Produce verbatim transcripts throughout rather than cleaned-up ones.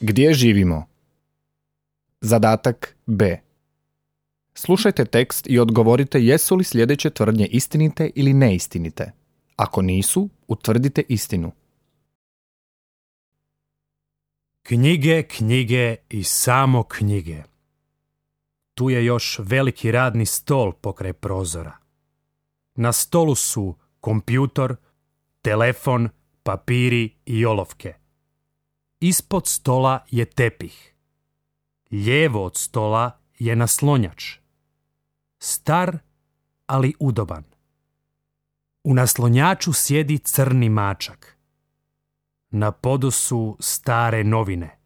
Gdje živimo? Zadatak B. Slušajte tekst i odgovorite jesu li sljedeće tvrdnje istinite ili neistinite. Ako nisu, utvrdite istinu. Knjige, knjige i samo knjige. Tu je još veliki radni stol pokraj prozora. Na stolu su kompjutor, telefon, papiri i olovke. Ispod stola je tepih. Lijevo od stola je naslonjač. Star, ali udoban. U naslonjaču sjedi crni mačak. Na podu su stare novine.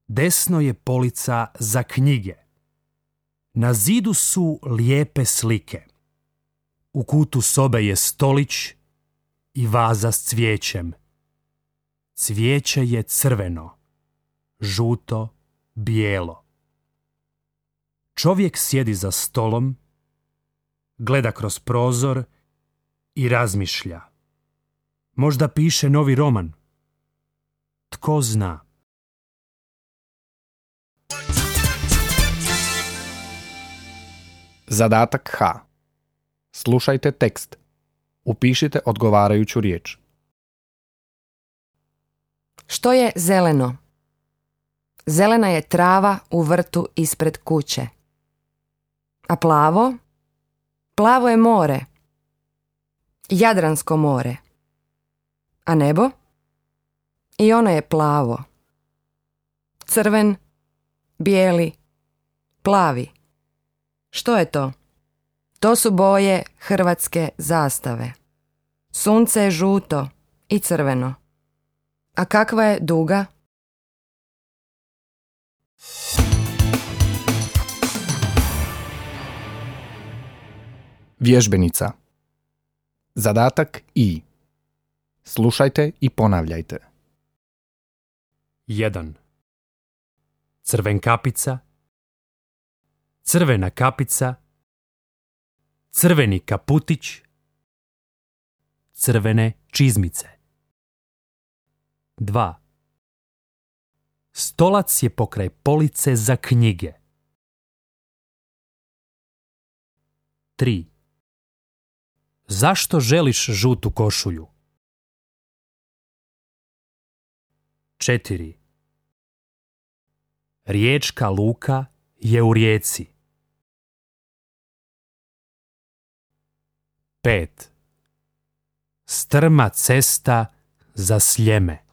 Desno je polica za knjige. Na zidu su lijepe slike. U kutu sobe je stolić i vaza s cvijećem. Cvijeće je crveno, žuto, bijelo. Čovjek sjedi za stolom, gleda kroz prozor i razmišlja. Možda piše novi roman. Tko zna? Zadatak H. Slušajte tekst. Upišite odgovarajuću riječ. Što je zeleno? Zelena je trava u vrtu ispred kuće. A plavo? Plavo je more. Jadransko more. A nebo? I ono je plavo. Crven, bijeli, plavi. Što je to? To su boje hrvatske zastave. Sunce je žuto i crveno. A kakva je duga? Vježbenica. Zadatak I. Slušajte i ponavljajte. jedan. Crvenkapica. Crvena kapica. Crveni kaputić. Crvene čizmice. dva. Stolac je pokraj police za knjige. tri. Zašto želiš žutu košulju? četiri. Riječka luka je u rijeci. pet. Strma cesta za Sljeme.